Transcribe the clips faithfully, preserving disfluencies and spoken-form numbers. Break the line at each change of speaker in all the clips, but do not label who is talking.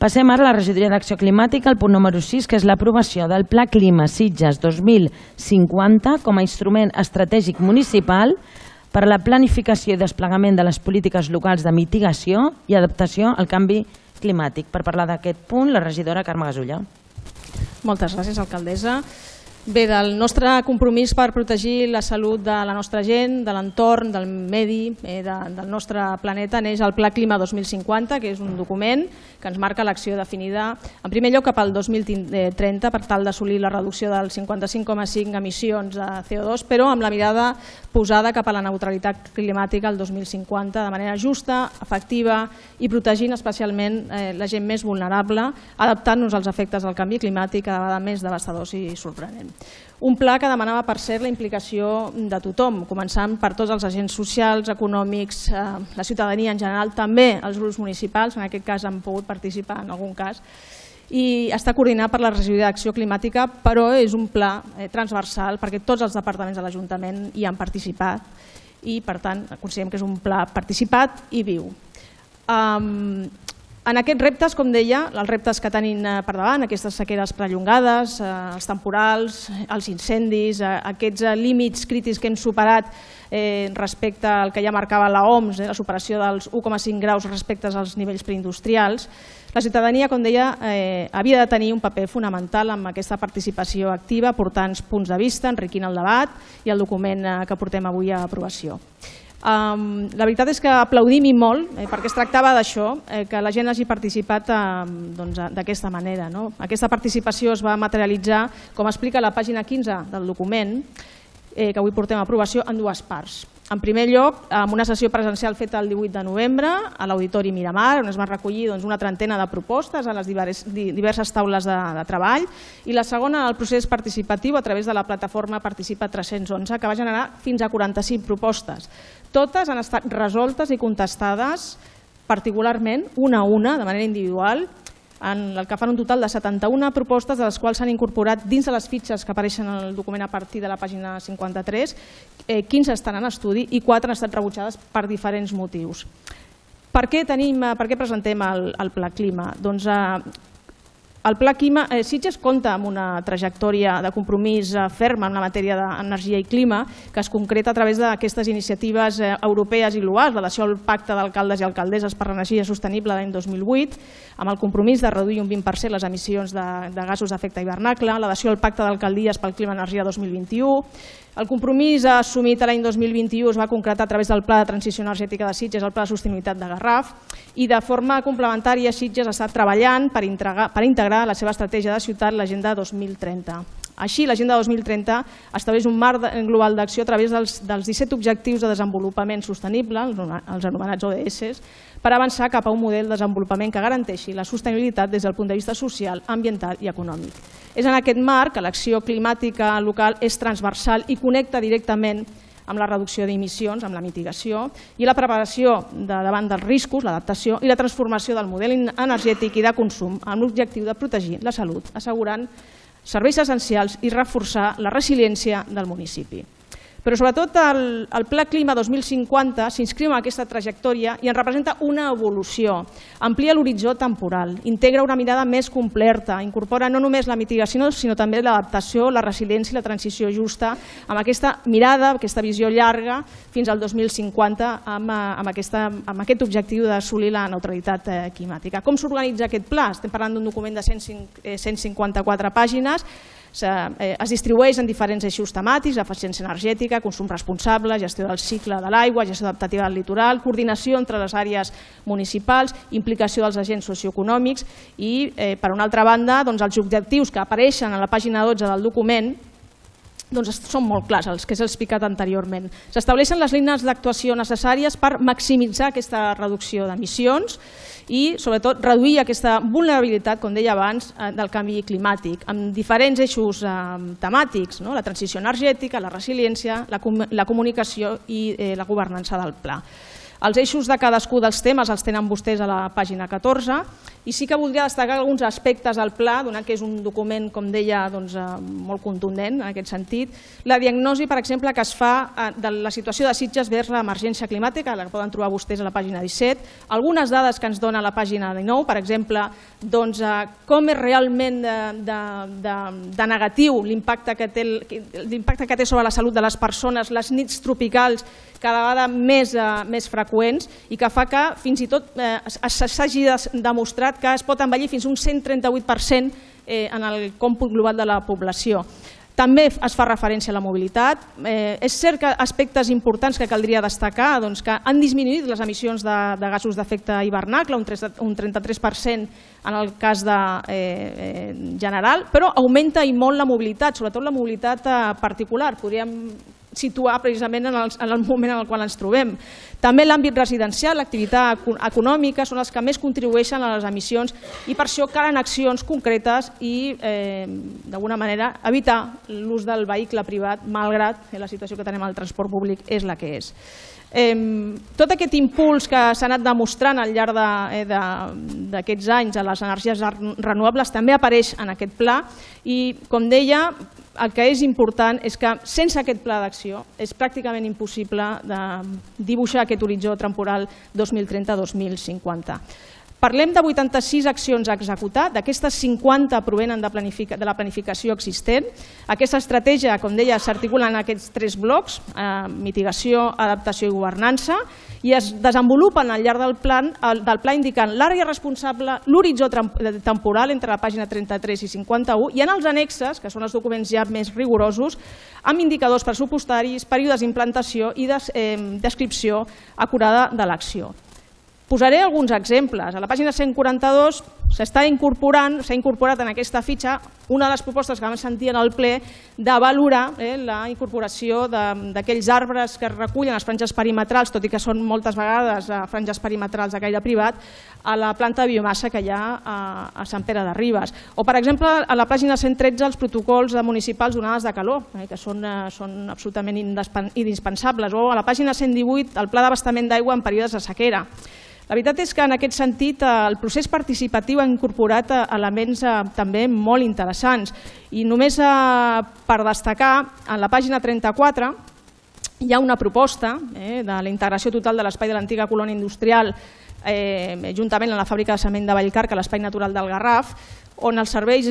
Passem ara a la regidoria d'Acció Climàtica, el punt número sis, que és l'aprovació del Pla Clima Sitges dos mil cinquanta com a instrument estratègic municipal per a la planificació i desplegament de les polítiques locals de mitigació i adaptació al canvi climàtic. Per parlar d'aquest punt, la regidora Carme Gasulla.
Moltes gràcies, alcaldessa. Bé, del nostre compromís per protegir la salut de la nostra gent, de l'entorn, del medi, eh, de, del nostre planeta, neix el Pla Clima dos mil cinquanta, que és un document que ens marca l'acció definida, en primer lloc, cap al dos mil trenta, per tal d'assolir la reducció del cinquanta-cinc coma cinc emissions de C O dos, però amb la mirada posada cap a la neutralitat climàtica el dos mil cinquanta, de manera justa, efectiva i protegint especialment eh, la gent més vulnerable, adaptant-nos als efectes del canvi climàtic cada vegada més devastadors i sorprenents. Un pla que demanava, per cert, la implicació de tothom, començant per tots els agents socials, econòmics, eh, la ciutadania en general, també els grups municipals, en aquest cas han pogut participar en algun cas, i està coordinat per la regidoria d'Acció Climàtica, però és un pla eh, transversal perquè tots els departaments de l'Ajuntament hi han participat i, per tant, considerem que és un pla participat i viu. Um, En aquests reptes, com deia, els reptes que tenim per davant, aquestes sequeres prolongades, els temporals, els incendis, aquests límits crítics que hem superat respecte al que ja marcava l'O M S, la superació dels u coma cinc graus respecte als nivells preindustrials, la ciutadania, com deia, havia de tenir un paper fonamental amb aquesta participació activa, aportant punts de vista, enriquint el debat i el document que portem avui a aprovació. Um, la veritat és que aplaudim i molt, eh, perquè es tractava d'això, eh, que la gent hagi participat eh, doncs, d'aquesta manera. No? Aquesta participació es va materialitzar, com explica la pàgina quinze del document, eh, que avui portem a aprovació, en dues parts. En primer lloc, amb una sessió presencial feta el divuit de novembre a l'Auditori Miramar, on es van recollir doncs, una trentena de propostes a les diverses, diverses taules de, de treball, i la segona, el procés participatiu a través de la plataforma Participa tres-cents onze, que va generar fins a quaranta-cinc propostes. Totes han estat resoltes i contestades particularment, una a una, de manera individual, en el que fan un total de setanta-una propostes, de les quals s'han incorporat dins de les fitxes que apareixen en el document a partir de la pàgina cinquanta-tres, quinze estan en estudi i quatre han estat rebutjades per diferents motius. Per què, tenim, per què presentem el, el Pla Clima? Doncs el Pla Clima, eh, Sitges compta amb una trajectòria de compromís eh, ferma en la matèria d'energia i clima, que es concreta a través d'aquestes iniciatives eh, europees i globals, l'adhesió al Pacte d'Alcaldes i Alcaldesses per l'Energia Sostenible l'any dos mil vuit, amb el compromís de reduir un vint per cent les emissions de, de gasos d'efecte hivernacle, l'adhesió al Pacte d'Alcaldies pel Clima i Energia dos mil vint-i-u. El compromís assumit l'any dos mil vint-i-u es va concretar a través del Pla de Transició Energètica de Sitges, el Pla de Sostenibilitat de Garraf, i de forma complementària Sitges ha estat treballant per integrar, per integrar la seva estratègia de ciutat l'Agenda dos mil trenta. Així, l'Agenda dos mil trenta estableix un marc global d'acció a través dels, dels disset objectius de desenvolupament sostenible, els anomenats O D S, per avançar cap a un model de desenvolupament que garanteixi la sostenibilitat des del punt de vista social, ambiental i econòmic. És en aquest marc que l'acció climàtica local és transversal i connecta directament amb la reducció d'emissions, amb la mitigació i la preparació de, davant dels riscos, l'adaptació i la transformació del model energètic i de consum amb l'objectiu de protegir la salut, assegurant serveis essencials i reforçar la resiliència del municipi. Però sobretot el, el Pla Clima dos mil cinquanta s'inscriu en aquesta trajectòria i en representa una evolució, amplia l'horitzó temporal, integra una mirada més completa, incorpora no només la mitigació sinó també l'adaptació, la resiliència i la transició justa amb aquesta mirada, aquesta visió llarga fins al dos mil cinquanta amb, amb, aquesta, amb aquest objectiu d'assolir la neutralitat eh, climàtica. Com s'organitza aquest pla? Estem parlant d'un document de cent cinquanta-quatre pàgines. Es distribueix en diferents eixos temàtics: eficiència energètica, consum responsable, gestió del cicle de l'aigua, gestió adaptativa del litoral, coordinació entre les àrees municipals, implicació dels agents socioeconòmics i, per una altra banda, els objectius que apareixen a la pàgina dotze del document són molt clars, els que s'ha explicat anteriorment. S'estableixen les línies d'actuació necessàries per maximitzar aquesta reducció d'emissions i, sobretot, reduir aquesta vulnerabilitat, com deia abans, del canvi climàtic, amb diferents eixos temàtics, la transició energètica, la resiliència, la comunicació i la governança del pla. Els eixos de cadascú dels temes els tenen vostès a la pàgina catorze I sí que voldria destacar alguns aspectes del pla, donat que és un document, com deia, molt contundent en aquest sentit. La diagnosi, per exemple, que es fa de la situació de Sitges vers l'emergència climàtica, la poden trobar vostès a la pàgina disset. Algunes dades que ens dona la pàgina dinou, per exemple, com és realment de negatiu l'impacte que té sobre la salut de les persones, les nits tropicals cada vegada més freqüents i que fa que fins i tot s'hagi demostrat que es pot envellir fins a un cent trenta-vuit per cent en el còmput global de la població. També es fa referència a la mobilitat. És cert que aspectes importants que caldria destacar, que han disminuït les emissions de gasos d'efecte hivernacle, un trenta-tres per cent en el cas general, però augmenta i molt la mobilitat, sobretot la mobilitat particular. Podríem situar precisament en el moment en el qual ens trobem. També l'àmbit residencial, l'activitat econòmica, són els que més contribueixen a les emissions i per això calen accions concretes i, d'alguna manera, evitar l'ús del vehicle privat, malgrat la situació que tenim al transport públic és la que és. Tot aquest impuls que s'ha anat demostrant al llarg d'aquests anys a les energies renovables també apareix en aquest pla i, com deia, el que és important és que sense aquest pla d'acció és pràcticament impossible dibuixar aquest horitzó temporal dos mil trenta dos mil cinquanta. Parlem de vuitanta-sis accions a executar, d'aquestes cinquanta provenen de la planificació existent. Aquesta estratègia, com deia, s'articula en aquests tres blocs, mitigació, adaptació i governança, i es desenvolupen al llarg del pla indicant l'àrea responsable, l'horitzó temporal entre la pàgina trenta-tres i cinquanta-u, i en els annexes, que són els documents ja més rigorosos, amb indicadors pressupostaris, períodes d'implantació i descripció acurada de l'acció. Posaré alguns exemples. A la pàgina cent quaranta-dos s'està incorporant, s'ha incorporat en aquesta fitxa una de les propostes que vam sentir en el ple de valorar la incorporació d'aquells arbres que es recullen a les franges perimetrals, tot i que són moltes vegades franges perimetrals de caire privat, a la planta de biomassa que hi ha a Sant Pere de Ribes. O, per exemple, a la pàgina cent tretze, els protocols municipals d'onades de calor, que són absolutament indispensables. O a la pàgina cent divuit, el pla d'abastament d'aigua en períodes de sequera. La veritat és que en aquest sentit el procés participatiu ha incorporat elements també molt interessants i només per destacar, en la pàgina trenta-quatre hi ha una proposta de la integració total de l'espai de l'antiga colònia industrial juntament amb la fàbrica de cement de Vallcarca a l'espai natural del Garraf, on els serveis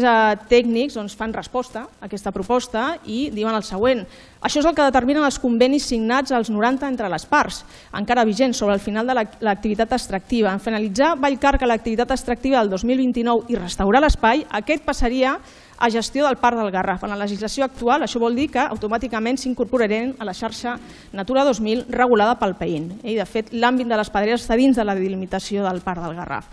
tècnics fan resposta a aquesta proposta i diuen el següent. Això és el que determinen els convenis signats als noranta entre les parts, encara vigents sobre el final de l'activitat extractiva. En finalitzar Vallcarca l'activitat extractiva del dos mil vint-i-nou i restaurar l'espai, aquest passaria a gestió del Parc del Garraf. En la legislació actual això vol dir que automàticament s'incorporarien a la xarxa Natura dos mil regulada pel P E I N. I, de fet, l'àmbit de les pedreres està dins de la delimitació del Parc del Garraf.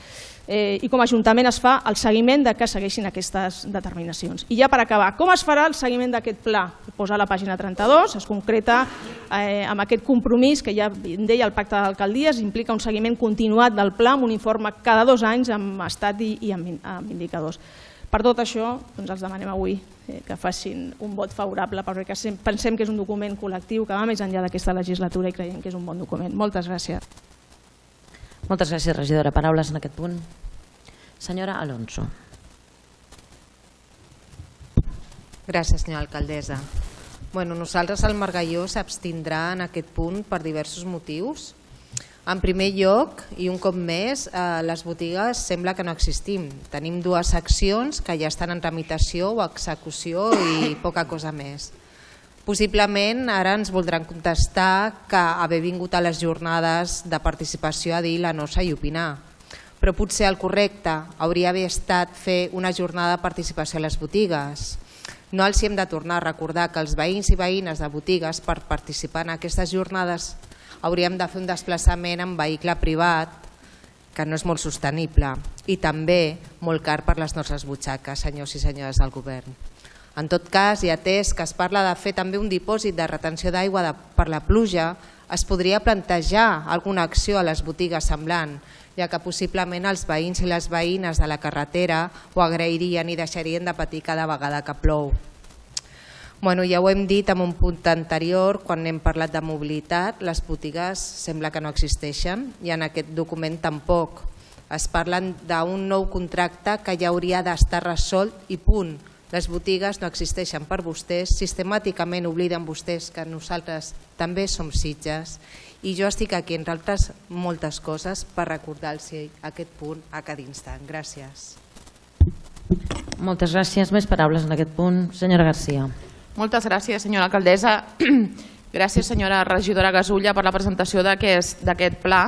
I com a Ajuntament es fa el seguiment de que segueixin aquestes determinacions. I ja per acabar, com es farà el seguiment d'aquest pla? Ho posa a la pàgina trenta-dos, es concreta amb aquest compromís que ja deia el pacte d'alcaldies, implica un seguiment continuat del pla amb un informe cada dos anys amb estat i amb indicadors. Per tot això, els demanem avui que facin un vot favorable perquè pensem que és un document col·lectiu que va més enllà d'aquesta legislatura i creiem que és un bon document. Moltes gràcies.
Moltes gràcies, regidora. Paraules en aquest punt. Senyora Alonso.
Gràcies, senyora alcaldessa. Nosaltres, el Margalló, s'abstindrà en aquest punt per diversos motius. En primer lloc, i un cop més, les botigues sembla que no existim. Tenim dues accions que ja estan en tramitació o execució i poca cosa més. Possiblement ara ens voldran contestar que haver vingut a les jornades de participació a dir la nosa i opinar. Però potser el correcte hauria d'haver estat fer una jornada de participació a les botigues. No els hem de tornar a recordar que els veïns i veïnes de botigues, per participar en aquestes jornades, hauríem de fer un desplaçament en vehicle privat, que no és molt sostenible, i també molt car per les nostres butxaques, senyors i senyores del govern. En tot cas, i atès que es parla de fer també un dipòsit de retenció d'aigua per la pluja, es podria plantejar alguna acció a les botigues semblant, ja que possiblement els veïns i les veïnes de la carretera ho agrairien i deixarien de patir cada vegada que plou. Ja ho hem dit en un punt anterior, quan hem parlat de mobilitat, les botigues sembla que no existeixen i en aquest document tampoc. Es parla d'un nou contracte que ja hauria d'estar resolt i punt. Les botigues no existeixen per vostès, sistemàticament obliden vostès que nosaltres també som Sitges i jo estic aquí, entre altres moltes coses, per recordar-los aquest punt a cada instant. Gràcies.
Moltes gràcies. Més paraules en aquest punt. Senyora Garcia.
Moltes gràcies, senyora alcaldessa. Gràcies, senyora regidora Gasulla, per la presentació d'aquest pla.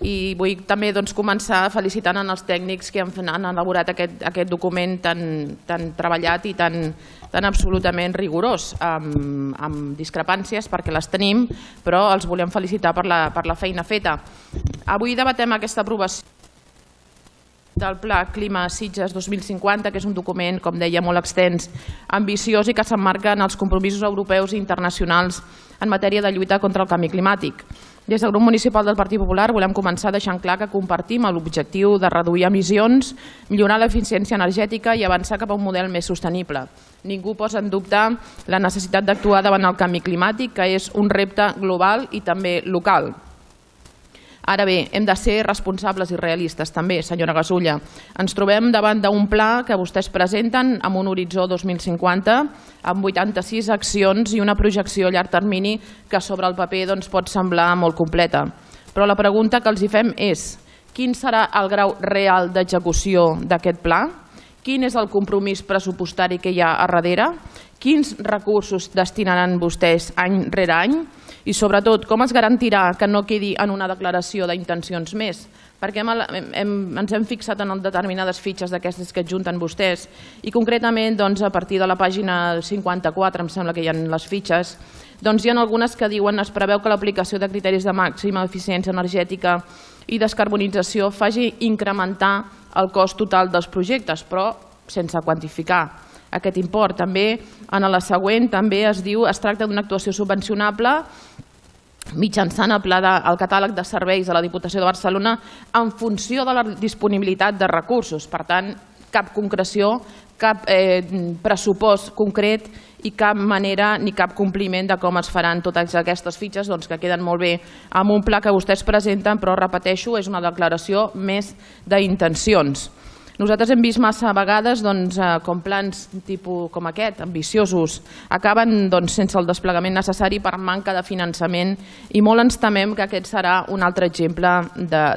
I vull també començar felicitant els tècnics que han elaborat aquest document tan treballat i tan absolutament rigorós, amb discrepàncies perquè les tenim, però els volem felicitar per la feina feta. Avui debatem aquesta aprovació del Pla Clima Sitges dos mil cinquanta, que és un document, com deia, molt extens, ambiciós i que s'emmarca en els compromisos europeus i internacionals en matèria de lluita contra el canvi climàtic. Des del grup municipal del Partit Popular volem començar deixant clar que compartim l'objectiu de reduir emissions, millorar l'eficiència energètica i avançar cap a un model més sostenible. Ningú posa en dubte la necessitat d'actuar davant el canvi climàtic, que és un repte global i també local. Ara bé, hem de ser responsables i realistes també, senyora Gasulla. Ens trobem davant d'un pla que vostès presenten amb un horitzó dos mil cinquanta, amb vuitanta-sis accions i una projecció a llarg termini que sobre el paper pot semblar molt completa. Però la pregunta que els hi fem és: quin serà el grau real d'execució d'aquest pla? Quin és el compromís pressupostari que hi ha a darrere? Quins recursos destinaran vostès any rere any? I sobretot, com es garantirà que no quedi en una declaració d'intencions més? Perquè ens hem fixat en determinades fitxes d'aquestes que adjunten vostès i concretament a partir de la pàgina cinquanta-quatre, em sembla que hi ha les fitxes, hi ha algunes que diuen es preveu que l'aplicació de criteris de màxima eficiència energètica i descarbonització faci incrementar el cost total dels projectes, però sense quantificar aquest import. També en la següent també es diu es tracta d'una actuació subvencionable mitjançant el pla del catàleg de serveis de la Diputació de Barcelona en funció de la disponibilitat de recursos. Per tant, cap concreció, cap pressupost concret i cap manera ni cap compliment de com es faran totes aquestes fitxes que queden molt bé amb un pla que vostès presenten, però repeteixo, és una declaració més d'intencions. Nosaltres hem vist massa vegades com plans tipus com aquest, ambiciosos, acaben sense el desplegament necessari per manca de finançament i molt ens temem que aquest serà un altre exemple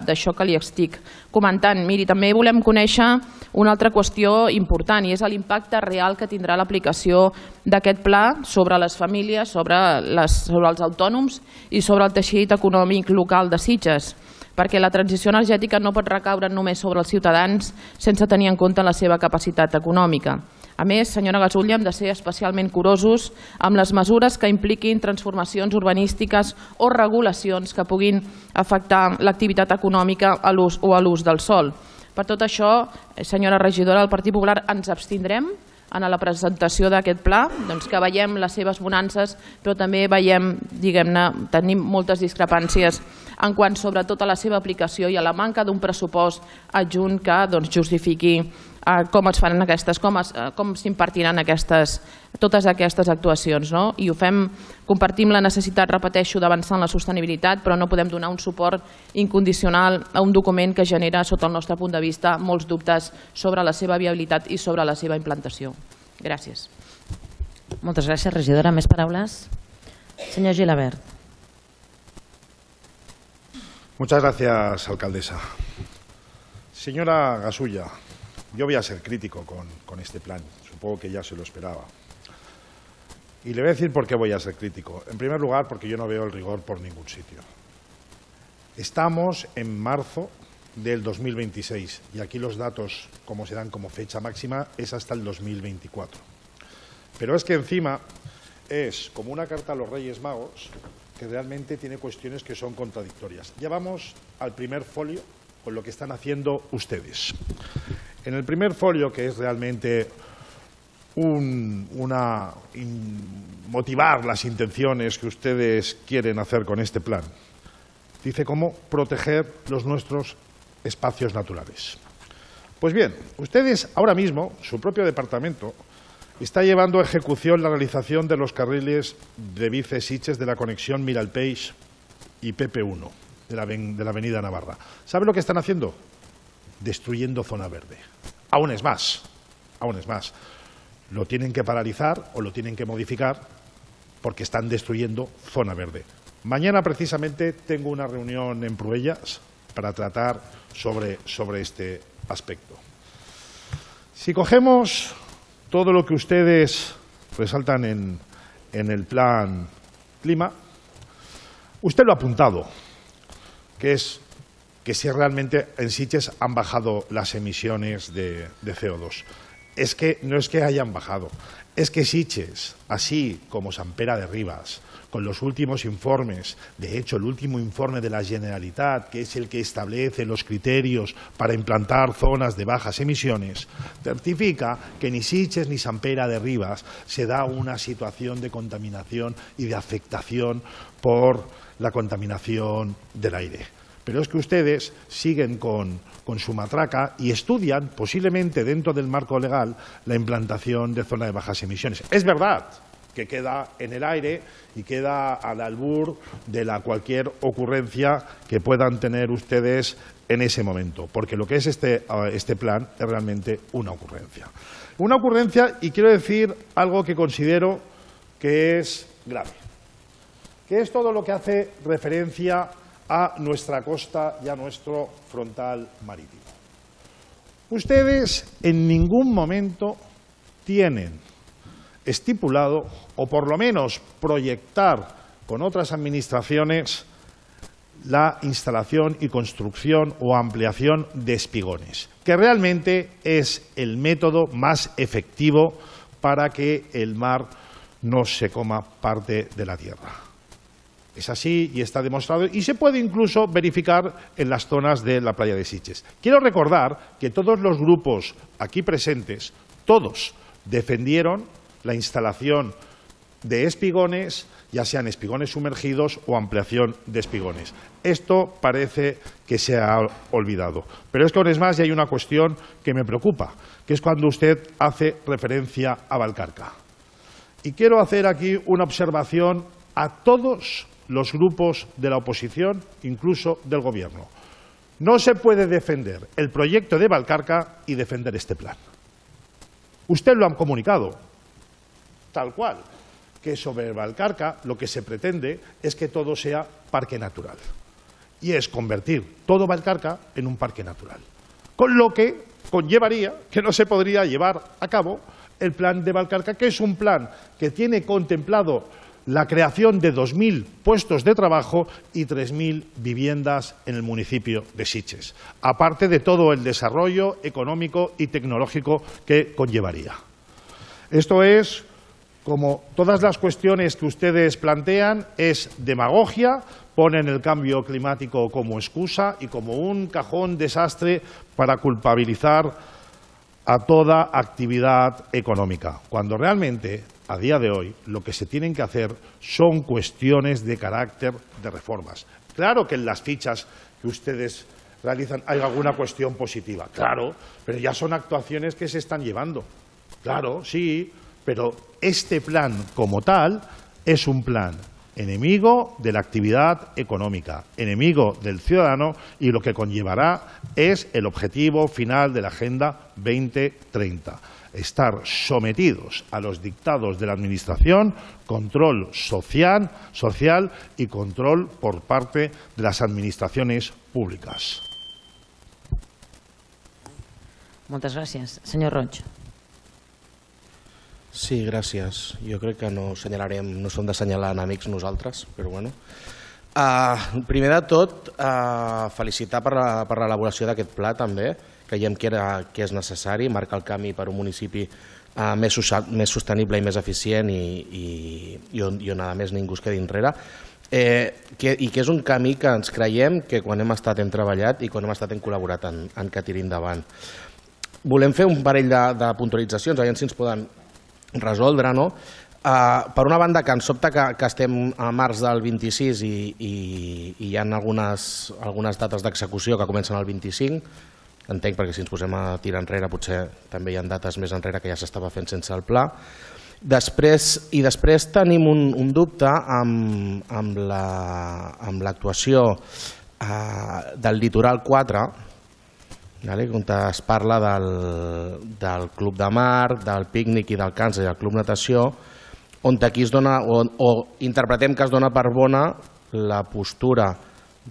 d'això que li estic comentant. Miri, també volem conèixer una altra qüestió important i és l'impacte real que tindrà l'aplicació d'aquest pla sobre les famílies, sobre els autònoms i sobre el teixit econòmic local de Sitges, perquè la transició energètica no pot recaure només sobre els ciutadans sense tenir en compte la seva capacitat econòmica. A més, senyora Gasulla, hem de ser especialment curosos amb les mesures que impliquin transformacions urbanístiques o regulacions que puguin afectar l'activitat econòmica o a l'ús del sòl. Per tot això, senyora regidora del Partit Popular, ens abstindrem en la presentació d'aquest pla, que veiem les seves bonances, però també veiem, diguem-ne, tenim moltes discrepàncies en quant sobretot a la seva aplicació i a la manca d'un pressupost adjunt que justifiqui com es faran aquestes, com s'impartiran totes aquestes actuacions. I ho fem, compartim la necessitat, repeteixo, d'avançar en la sostenibilitat, però no podem donar un suport incondicional a un document que genera, sota el nostre punt de vista, molts dubtes sobre la seva viabilitat i sobre la seva implantació. Gràcies.
Moltes gràcies, regidora. Més paraules? Senyor Gilabert.
Muchas gracias, alcaldesa. Señora Gasulla, yo voy a ser crítico con, con este plan, supongo que ya se lo esperaba. Y le voy a decir por qué voy a ser crítico. En primer lugar, porque yo no veo el rigor por ningún sitio. Estamos en marzo del dos mil veintiséis y aquí los datos, como se dan como fecha máxima, es hasta el dos mil veinticuatro. Pero es que encima es como una carta a los Reyes Magos que realmente tiene cuestiones que son contradictorias. Ya vamos al primer folio con lo que están haciendo ustedes. En el primer folio, que es realmente un, una, in, motivar las intenciones que ustedes quieren hacer con este plan, dice cómo proteger los nuestros espacios naturales. Pues bien, ustedes ahora mismo, su propio departamento, está llevando a ejecución la realización de los carriles de bici Sitges de la conexión Miralpeix y P P uno de la, de la avenida Navarra. ¿Sabe lo que están haciendo? destruyendo zona verde. Aún es más, aún es más. Lo tienen que paralizar o lo tienen que modificar porque están destruyendo zona verde. Mañana precisamente tengo una reunión en Pruellas para tratar sobre, sobre este aspecto. Si cogemos todo lo que ustedes resaltan en, en el plan clima, usted lo ha apuntado, que es que si realmente en Sitges han bajado las emisiones de, de C O dos. Es que no es que hayan bajado, es que Sitges, así como Sant Pere de Ribes, con los últimos informes, de hecho el último informe de la Generalitat, que es el que establece los criterios para implantar zonas de bajas emisiones, certifica que ni Sitges ni Sant Pere de Ribes se da una situación de contaminación y de afectación por la contaminación del aire. Pero es que ustedes siguen con, con su matraca y estudian, posiblemente dentro del marco legal, la implantación de zona de bajas emisiones. Es verdad que queda en el aire y queda al albur de la cualquier ocurrencia que puedan tener ustedes en ese momento, porque lo que es este, este plan es realmente una ocurrencia. Una ocurrencia, y quiero decir algo que considero que es grave, que es todo lo que hace referencia a nuestra costa y a nuestro frontal marítimo. Ustedes en ningún momento tienen estipulado, o por lo menos proyectar con otras administraciones, la instalación y construcción o ampliación de espigones, que realmente es el método más efectivo para que el mar no se coma parte de la tierra. Es así y está demostrado y se puede incluso verificar en las zonas de la playa de Sitges. Quiero recordar que todos los grupos aquí presentes, todos defendieron la instalación de espigones, ya sean espigones sumergidos o ampliación de espigones. Esto parece que se ha olvidado. Pero es que aún es más y hay una cuestión que me preocupa, que es cuando usted hace referencia a Valcarca. Y quiero hacer aquí una observación a todos los grupos de la oposición, incluso del Gobierno. No se puede defender el proyecto de Valcarca y defender este plan. Usted lo han comunicado, tal cual, que sobre Valcarca lo que se pretende es que todo sea parque natural. Y es convertir todo Valcarca en un parque natural. Con lo que conllevaría que no se podría llevar a cabo el plan de Valcarca, que es un plan que tiene contemplado la creación de dos mil puestos de trabajo y tres mil viviendas en el municipio de Sitges, aparte de todo el desarrollo económico y tecnológico que conllevaría. Esto es, como todas las cuestiones que ustedes plantean, es demagogia, ponen el cambio climático como excusa y como un cajón desastre para culpabilizar a toda actividad económica, cuando realmente, a día de hoy, lo que se tienen que hacer son cuestiones de carácter de reformas. Claro que en las fichas que ustedes realizan hay alguna cuestión positiva, claro, pero ya son actuaciones que se están llevando. Claro, sí, pero este plan como tal es un plan enemigo de la actividad económica, enemigo del ciudadano, y lo que conllevará es el objetivo final de la Agenda veinte treinta. Estar sometidos a los dictados de la Administración, control social, social y control por parte de las administraciones públicas.
Moltes gràcies. Senyor Roig.
Sí, gràcies. Jo crec que no assenyalarem, no som d'assenyalar enemics nosaltres, però bueno. Uh, primer de tot, uh, felicitar per l'elaboració d'aquest pla també. Creiem que, era, que és necessari marcar el camí per un municipi uh, més, més sostenible i més eficient i, i, i, on, i on a més ningú es quedi enrere. Eh, que, I que és un camí que ens creiem que quan hem estat hem treballat i quan hem estat hem col·laborat en, en que tiri endavant. Volem fer un parell de, de puntualitzacions, aviam si ens poden resoldre, no? Uh, per una banda, que ens sobta que, que estem a març del vint-i-sis i, i, i hi ha algunes, algunes dates d'execució que comencen el vint-i-cinc, entenc perquè si ens posem a tirar enrere potser també hi ha dates més enrere que ja s'estava fent sense el pla. Després, I després tenim un, un dubte amb, amb l'actuació la, uh, del litoral quatre, on es parla del Club de Mar, del pícnic i del càncer i del Club Natació, on aquí es dona, o interpretem que es dona per bona la postura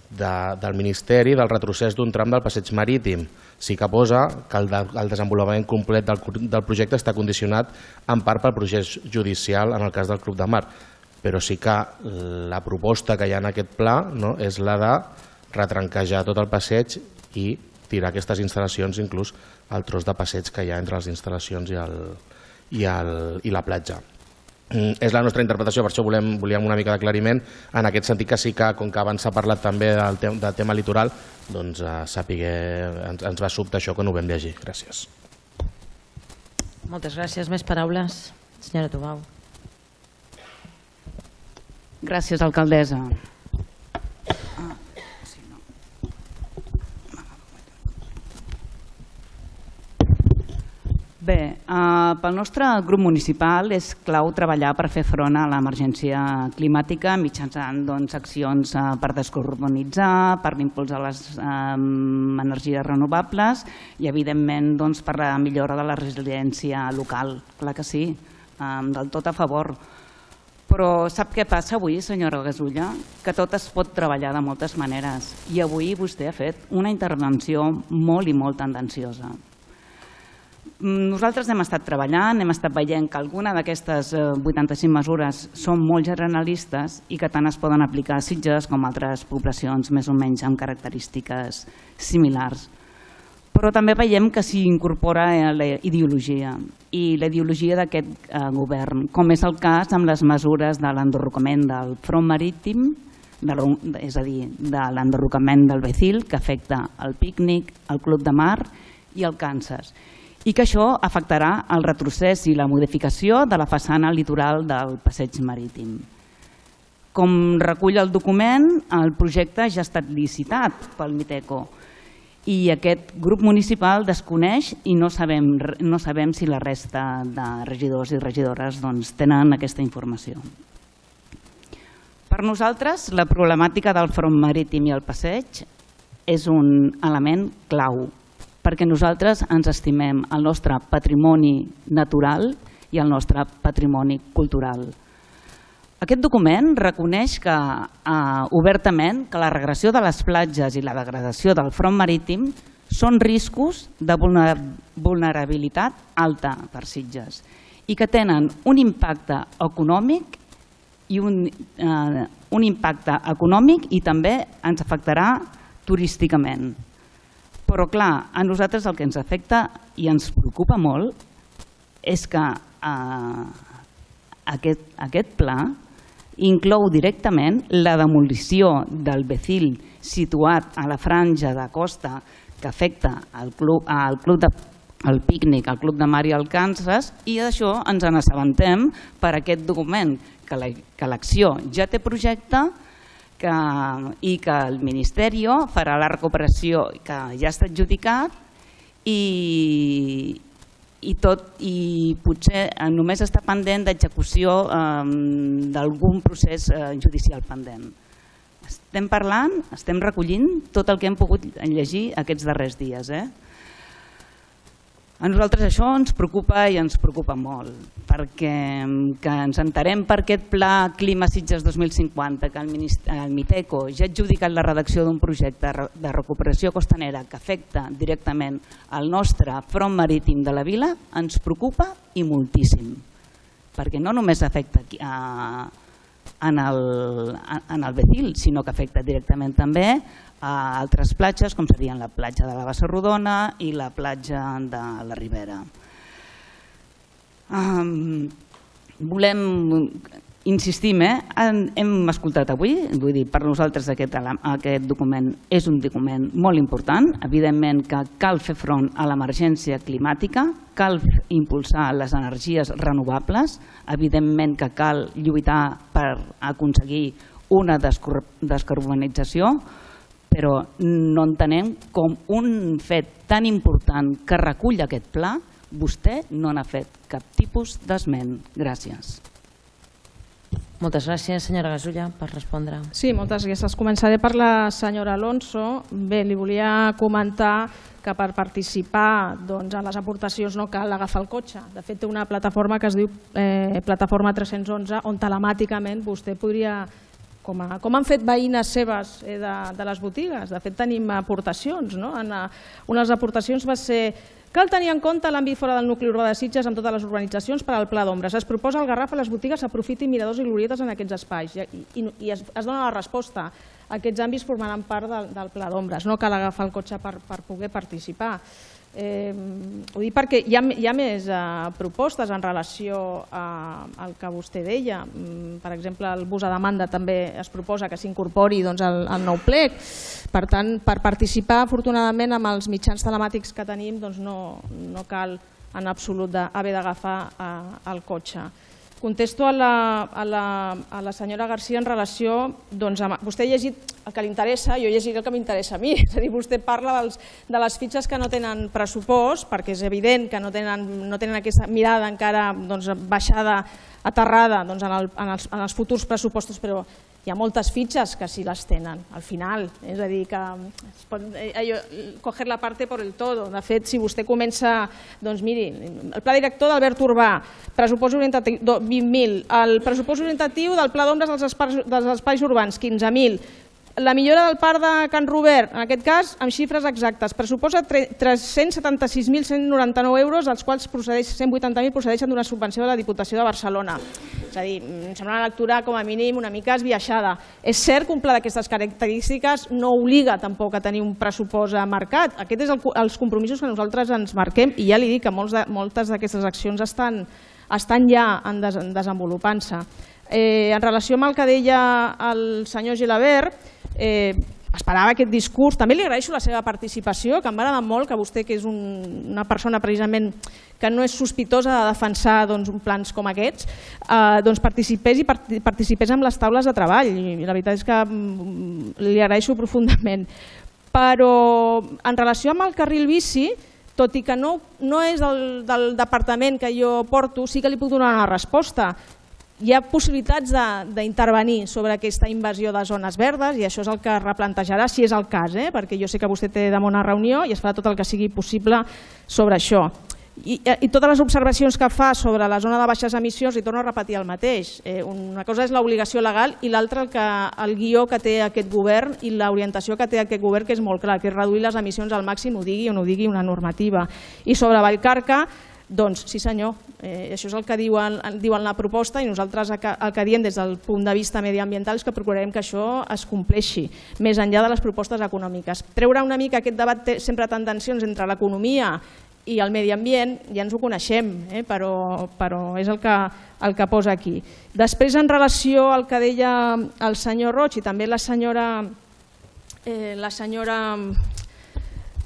del Ministeri del retrocés d'un tram del passeig marítim. Sí que posa que el desenvolupament complet del projecte està condicionat en part pel procés judicial en el cas del Club de Mar, però sí que la proposta que hi ha en aquest pla és la de retranquejar tot el passeig i tirar aquestes instal·lacions, inclús el tros de passeig que hi ha entre les instal·lacions i la platja. És la nostra interpretació, per això volíem una mica d'aclariment, en aquest sentit que sí que, com que abans s'ha parlat també del tema litoral, doncs ens va sobtar això quan ho vam llegir. Gràcies.
Moltes gràcies. Més paraules? Senyora Tubau.
Gràcies, alcaldessa. Bé, pel nostre grup municipal és clau treballar per fer front a l'emergència climàtica mitjançant accions per descarbonitzar, per l'impuls de les energies renovables i, evidentment, per la millora de la resiliència local. Clar que sí, del tot a favor. Però sap què passa avui, senyora Gasulla? Que tot es pot treballar de moltes maneres i avui vostè ha fet una intervenció molt i molt tendenciosa. Nosaltres hem estat treballant, hem estat veient que alguna d'aquestes vuitanta-cinc mesures són molt generalistes i que tant es poden aplicar a Sitges com a altres poblacions més o menys amb característiques similars. Però també veiem que s'hi incorpora la ideologia i la ideologia d'aquest govern, com és el cas amb les mesures de l'enderrocament del front marítim, és a dir, de l'enderrocament del Becil, que afecta el pícnic, el Club de Mar i el Kansas, i que això afectarà el retrocés i la modificació de la façana litoral del passeig marítim. Com recull el document, el projecte ja ha estat licitat pel Miteco i aquest grup municipal desconeix i no sabem si la resta de regidors i regidores tenen aquesta informació. Per nosaltres, la problemàtica del front marítim i el passeig és un element clau, perquè nosaltres ens estimem el nostre patrimoni natural i el nostre patrimoni cultural. Aquest document reconeix obertament que la regressió de les platges i la degradació del front marítim són riscos de vulnerabilitat alta per Sitges i que tenen un impacte econòmic i un impacte econòmic i també ens afectarà turísticament. Però, clar, a nosaltres el que ens afecta i ens preocupa molt és que aquest pla inclou directament la demolició del Becil situat a la franja de costa que afecta el pícnic, el Club de Mar i el Kansas, i d'això ens n'assabentem per aquest document, que l'acció ja té projecte i que el Ministeri farà la recuperació que ja està adjudicat i potser només està pendent d'execució d'algun procés judicial pendent. Estem parlant, estem recollint tot el que hem pogut llegir aquests darrers dies. A nosaltres això ens preocupa i ens preocupa molt, perquè ens enterem per aquest pla Clima Sitges dos mil cinquanta, que el Miteco ja ha adjudicat la redacció d'un projecte de recuperació costanera que afecta directament el nostre front marítim de la vila, ens preocupa i moltíssim, perquè no només afecta en el Becil, sinó que afecta directament també a altres platges, com serien la platja de la Bassa Rodona i la platja de la Ribera. Volem insistir, hem escoltat avui, vull dir, per nosaltres aquest document és un document molt important, evidentment que cal fer front a l'emergència climàtica, cal impulsar les energies renovables, evidentment que cal lluitar per aconseguir una descarbonització, però no entenem com un fet tan important que recull aquest pla, vostè no n'ha fet cap tipus d'esment. Gràcies.
Moltes gràcies, senyora Gasulla, per respondre.
Sí, moltes gràcies. Començaré per la senyora Alonso. Bé, li volia comentar que per participar doncs, en les aportacions no cal agafar el cotxe. De fet, té una plataforma que es diu eh, Plataforma tres-cents onze, on telemàticament vostè podria, com, a, com han fet veïnes seves eh, de, de les botigues, de fet tenim aportacions. No? En, uh, una de les aportacions va ser: cal tenir en compte l'àmbit fora del nucli urbà de Sitges amb totes les urbanitzacions per al pla d'ombres. Es proposa al Garraf a les botigues aprofitin miradors i glorietes en aquests espais i, i, i es, es dona la resposta. Aquests àmbits formaran part del, del pla d'ombres. No cal agafar el cotxe per, per poder participar. Eh, ho dic perquè hi ha, hi ha més eh, propostes en relació a, al que vostè deia. Per exemple, el bus a demanda també es proposa que s'incorpori doncs, al, al nou plec. Per tant, per participar, afortunadament, amb els mitjans telemàtics que tenim, doncs no, no cal en absolut haver d'agafar eh, el cotxe. Contesto a la, a, la, a la senyora Garcia en relació, doncs, amb, vostè ha llegit el que li interessa, jo llegiré el que m'interessa a mi, és a dir, vostè parla dels, de les fitxes que no tenen pressupost, perquè és evident que no tenen, no tenen aquesta mirada encara doncs, baixada, aterrada doncs, en, el, en, els, en els futurs pressupostos, però hi ha moltes fitxes que sí les tenen, al final, és a dir, que es pot allò, coger la parte por el todo. De fet, si vostè comença, doncs miri, el pla director d'Albert Urbà, pressupost orientatiu vint mil, el pressupost orientatiu del pla d'ombres dels espais, dels espais urbans, quinze mil, la millora del parc de Can Robert, en aquest cas, amb xifres exactes, pressuposa tres-cents setanta-sis mil cent noranta-nou euros, dels quals cent vuitanta mil procedeixen d'una subvenció de la Diputació de Barcelona. És a dir, em sembla una lectura com a mínim una mica esbiaixada. És cert que un pla d'aquestes característiques no obliga tampoc a tenir un pressupost marcat. Aquests són els compromisos que nosaltres ens marquem i ja li dic que moltes d'aquestes accions estan, estan ja desenvolupant-se. Eh, en relació amb el que deia el senyor Gilabert, eh, esperava aquest discurs, també li agraeixo la seva participació, que em va agradar molt que vostè, que és un, una persona precisament que no és sospitosa de defensar doncs, plans com aquests, eh, doncs participés i participés en les taules de treball, i la veritat és que li agraeixo profundament. Però en relació amb el carril bici, tot i que no, no és del, del departament que jo porto, sí que li puc donar una resposta. Hi ha possibilitats d'intervenir sobre aquesta invasió de zones verdes i això és el que replantejarà, si és el cas, eh? Perquè jo sé que vostè té demà una reunió i es farà tot el que sigui possible sobre això. I, i totes les observacions que fa sobre la zona de baixes emissions, i torno a repetir el mateix. Eh, una cosa és l'obligació legal i l'altra el, que, el guió que té aquest govern i l'orientació que té aquest govern, que és molt clar, que és reduir les emissions al màxim, ho digui o no ho digui una normativa. I sobre Vallcarca, doncs sí senyor, eh, això és el que diuen, diuen la proposta i nosaltres el que, el que diem des del punt de vista mediambiental és que procurarem que això es compleixi, més enllà de les propostes econòmiques. Treure una mica aquest debat té sempre tensions entre l'economia i el medi ambient, ja ens ho coneixem, eh, però, però és el que, el que posa aquí. Després, en relació al que deia el senyor Roig i també la senyora, eh, la senyora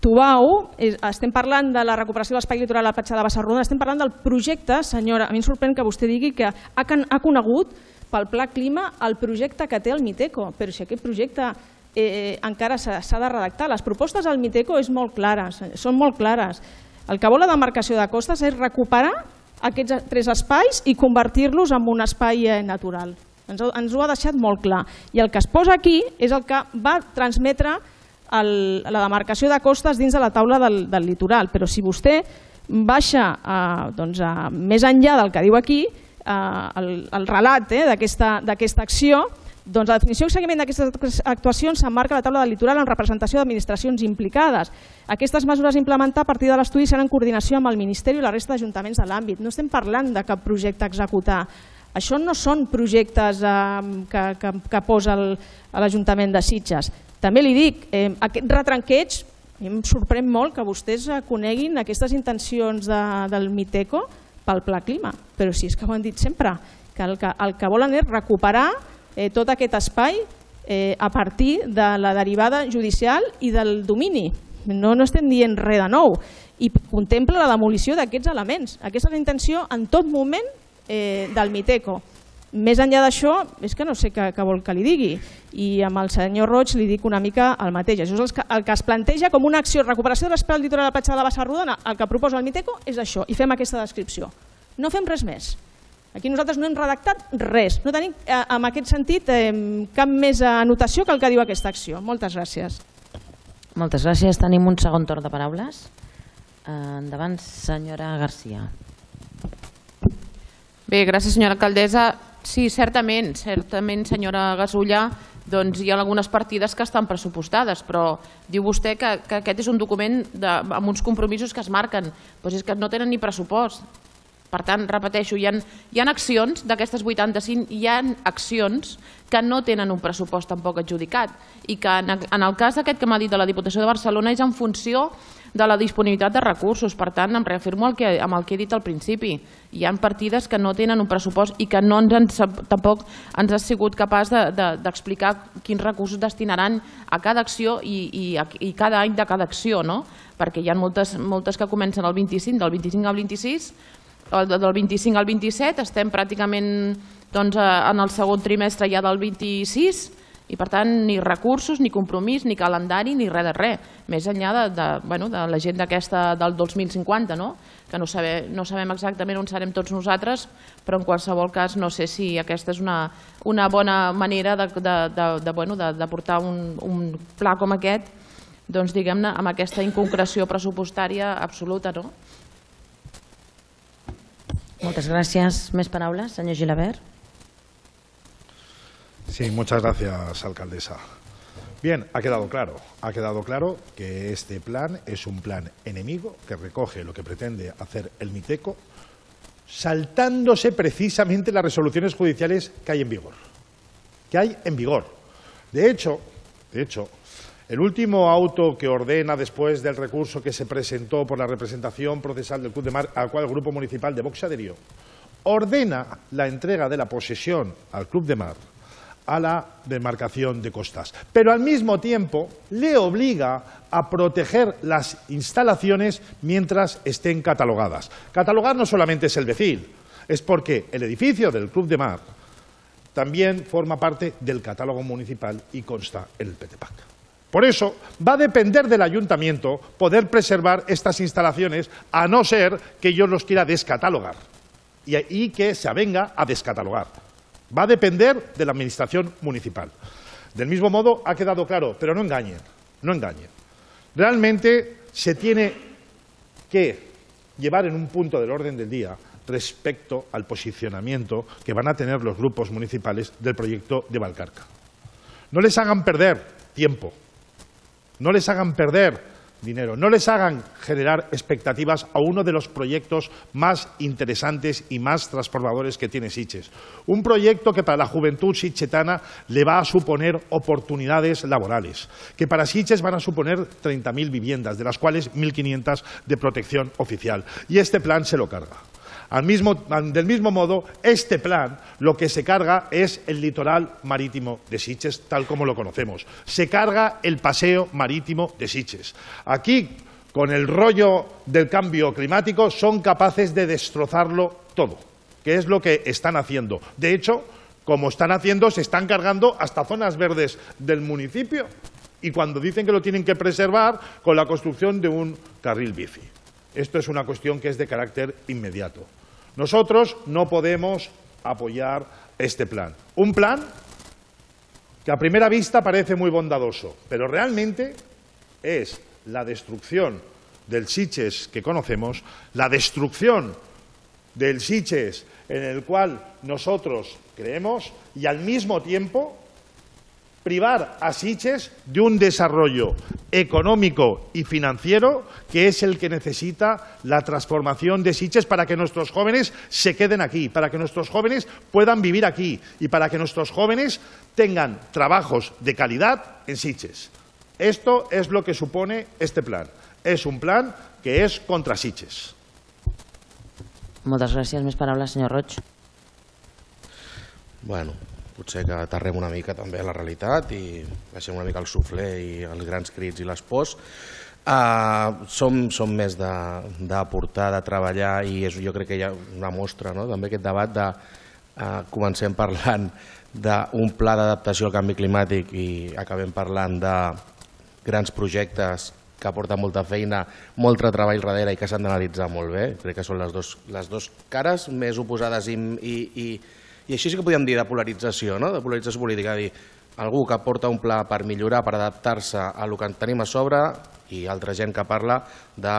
Tubau, estem parlant de la recuperació de l'espai litoral a la platja de Bassarrodona, estem parlant del projecte, senyora, a mi em sorprèn que vostè digui que ha, ha conegut pel Pla Clima el projecte que té el Miteco, però si aquest projecte eh, encara s'ha de redactar. Les propostes del Miteco és molt clares, són molt clares. El que vol la demarcació de costes és recuperar aquests tres espais i convertir-los en un espai natural. Ens, ens ho ha deixat molt clar. I el que es posa aquí és el que va transmetre el, la demarcació de costes dins de la taula del, del litoral. Però si vostè baixa a, doncs a, més enllà del que diu aquí, a, el, el relat eh, d'aquesta acció, doncs la definició i seguiment d'aquestes actuacions s'emmarca a la taula del litoral en representació d'administracions implicades. Aquestes mesures a implementar a partir de l'estudi seran en coordinació amb el Ministeri i la resta d'ajuntaments de l'àmbit. No estem parlant de cap projecte a executar. Això no són projectes eh, que, que, que posa l'Ajuntament de Sitges. També li dic, eh, aquest retranqueig, em sorprèn molt que vostès coneguin aquestes intencions de, del Miteco pel Pla Clima, però si és que ho han dit sempre, que el que, el que volen és recuperar eh, tot aquest espai eh, a partir de la derivada judicial i del domini. No, no estem dient res de nou i contempla la demolició d'aquests elements. Aquesta és la intenció en tot moment eh, del Miteco. Més enllà d'això, és que no sé què, què vol que li digui. I amb el senyor Roig li dic una mica el mateix. Això és el que, el que es planteja com una acció de recuperació de l'espai del litoral de la platja de la Bassarrodona. El que proposa el Miteco és això, i fem aquesta descripció. No fem res més. Aquí nosaltres no hem redactat res, no tenim en aquest sentit cap més anotació que el que diu aquesta acció. Moltes gràcies.
Moltes gràcies. Tenim un segon torn de paraules. Endavant, senyora Garcia.
Bé, gràcies, senyora alcaldessa. Sí, certament, certament, senyora Gasulla, doncs hi ha algunes partides que estan pressupostades, però diu vostè que, que aquest és un document de, amb uns compromisos que es marquen, doncs és que no tenen ni pressupost. Per tant, repeteixo, hi ha, hi ha accions d'aquestes vuitanta-cinc, hi ha accions que no tenen un pressupost tampoc adjudicat i que en, en el cas aquest que m'ha dit de la Diputació de Barcelona és en funció de la disponibilitat de recursos. Per tant, em reafirmo el que, amb el que he dit al principi. Hi ha partides que no tenen un pressupost i que no ens han, tampoc ens ha sigut capaç d'explicar de, de, quins recursos destinaran a cada acció i, i, i cada any de cada acció, no? Perquè hi ha moltes, moltes que comencen el vint-i-cinc, del vint-i-cinc al vint-i-sis, del vint-i-cinc al vint-i-set, estem pràcticament doncs, en el segon trimestre ja del vint-i-sis i per tant ni recursos, ni compromís, ni calendari, ni res de res, més enllà de, de, bueno, de l'agenda aquesta del dos mil cinquanta, no? Que no, saber, no sabem exactament on serem tots nosaltres, però en qualsevol cas no sé si aquesta és una, una bona manera de, de, de, de, bueno, de, de portar un, un pla com aquest, doncs diguem-ne, amb aquesta inconcreció pressupostària absoluta, no?
Muchas gracias. ¿Más palabras, señor Gilabert?
Sí, muchas gracias, alcaldesa. Bien, ha quedado claro, ha quedado claro que este plan es un plan enemigo que recoge lo que pretende hacer el Miteco, saltándose precisamente las resoluciones judiciales que hay en vigor. Que hay en vigor. De hecho, de hecho, el último auto que ordena después del recurso que se presentó por la representación procesal del Club de Mar, al cual el Grupo Municipal de Vox adherió, ordena la entrega de la posesión al Club de Mar a la demarcación de costas, pero al mismo tiempo le obliga a proteger las instalaciones mientras estén catalogadas. Catalogar no solamente es el Becil, es porque el edificio del Club de Mar también forma parte del catálogo municipal y consta en el P T P A C. Por eso va a depender del ayuntamiento poder preservar estas instalaciones, a no ser que ellos los quiera descatalogar y, y que se avenga a descatalogar. Va a depender de la administración municipal. Del mismo modo, ha quedado claro, pero no engañen, no engañen. Realmente se tiene que llevar en un punto del orden del día respecto al posicionamiento que van a tener los grupos municipales del proyecto de Valcarca. No les hagan perder tiempo. No les hagan perder dinero, no les hagan generar expectativas a uno de los proyectos más interesantes y más transformadores que tiene Sitges. Un proyecto que para la juventud sitgetana le va a suponer oportunidades laborales, que para Sitges van a suponer treinta mil viviendas, de las cuales mil quinientas de protección oficial. Y este plan se lo carga. Al mismo, del mismo modo, este plan lo que se carga es el litoral marítimo de Sitges, tal como lo conocemos. Se carga el paseo marítimo de Sitges. Aquí, con el rollo del cambio climático, son capaces de destrozarlo todo, que es lo que están haciendo. De hecho, como están haciendo, se están cargando hasta zonas verdes del municipio. Y cuando dicen que lo tienen que preservar con la construcción de un carril bici. Esto es una cuestión que es de carácter inmediato. Nosotros no podemos apoyar este plan. Un plan que a primera vista parece muy bondadoso, pero realmente es la destrucción del Sitges que conocemos, la destrucción del Sitges en el cual nosotros creemos y al mismo tiempo privar a Sitges de un desarrollo económico y financiero que es el que necesita la transformación de Sitges para que nuestros jóvenes se queden aquí, para que nuestros jóvenes puedan vivir aquí y para que nuestros jóvenes tengan trabajos de calidad en Sitges. Esto es lo que supone este plan. Es un plan que es contra Sitges.
Moltes gràcies. Més paraules, senyor Roig.
Bueno, potser que aterrem una mica també a la realitat i baixem una mica el suflé i els grans crits i les pors. Uh, som, som més d'aportar, de, de treballar i és, jo crec que hi ha una mostra, no? També aquest debat de uh, comencem parlant d'un pla d'adaptació al canvi climàtic i acabem parlant de grans projectes que porta molta feina, molt treball darrere i que s'han d'analitzar molt bé. Crec que són les dues cares més oposades i així sí que podríem dir de polarització, de polarització política, dir algú que porta un pla per millorar, per adaptar-se al que tenim a sobre i altra gent que parla de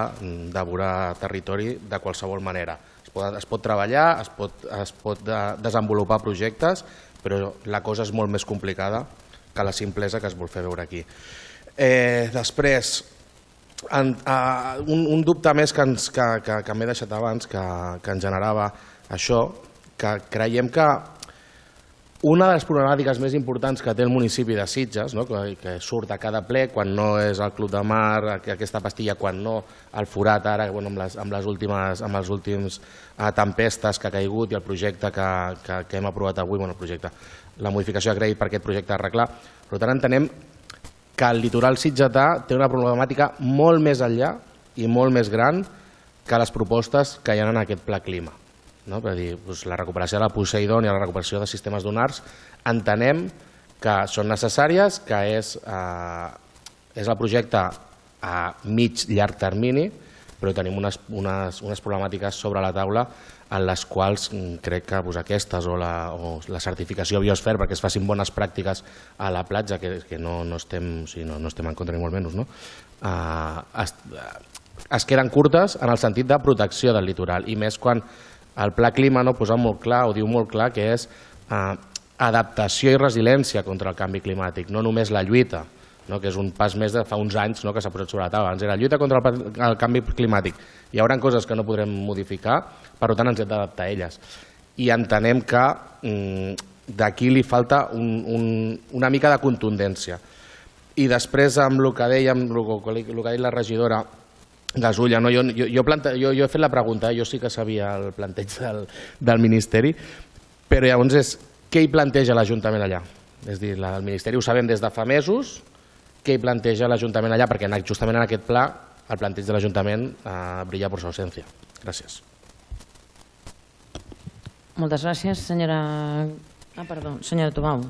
devorar territori de qualsevol manera. Es pot treballar, es pot desenvolupar projectes, però la cosa és molt més complicada que la simplesa que es vol fer veure aquí. Després, un dubte més que m'he deixat abans, que ens generava això, que creiem que una de les problemàtiques més importants que té el municipi de Sitges, que surt a cada ple, quan no és el Club de Mar, aquesta pastilla, quan no el forat ara, amb les últimes tempestes que ha caigut i el projecte que hem aprovat avui, el projecte, la modificació de crèdit per aquest projecte d'arreglar. Per tant, entenem que el litoral sitgetà té una problemàtica molt més enllà i molt més gran que les propostes que hi ha en aquest pla clima. Per dir, la recuperació de la Poseidon i la recuperació de sistemes dunars entenem que són necessàries, que és el projecte a mig llarg termini, però tenim unes problemàtiques sobre la taula en les quals crec que aquestes o la certificació biosfer perquè es facin bones pràctiques a la platja, que no estem en contra ni molt menys, es queden curtes en el sentit de protecció del litoral, i més quan el Pla Clima posa molt clar, o diu molt clar, que és adaptació i resiliència contra el canvi climàtic, no només la lluita, que és un pas més de fa uns anys que s'ha posat sobre la taula. Abans era lluita contra el canvi climàtic. Hi haurà coses que no podrem modificar, per tant ens hem d'adaptar a elles. I entenem que d'aquí li falta una mica de contundència. I després, amb el que dèiem, el que ha dit la regidora Gasulla, jo he fet la pregunta, jo sí que sabia el planteig del Ministeri, però llavors és què hi planteja l'Ajuntament allà? És a dir, el Ministeri ho sabem des de fa mesos, què hi planteja l'Ajuntament allà, perquè justament en aquest pla el planteig de l'Ajuntament brilla per su ausència. Gràcies.
Moltes gràcies, senyora... Ah, perdó, senyora Tubau.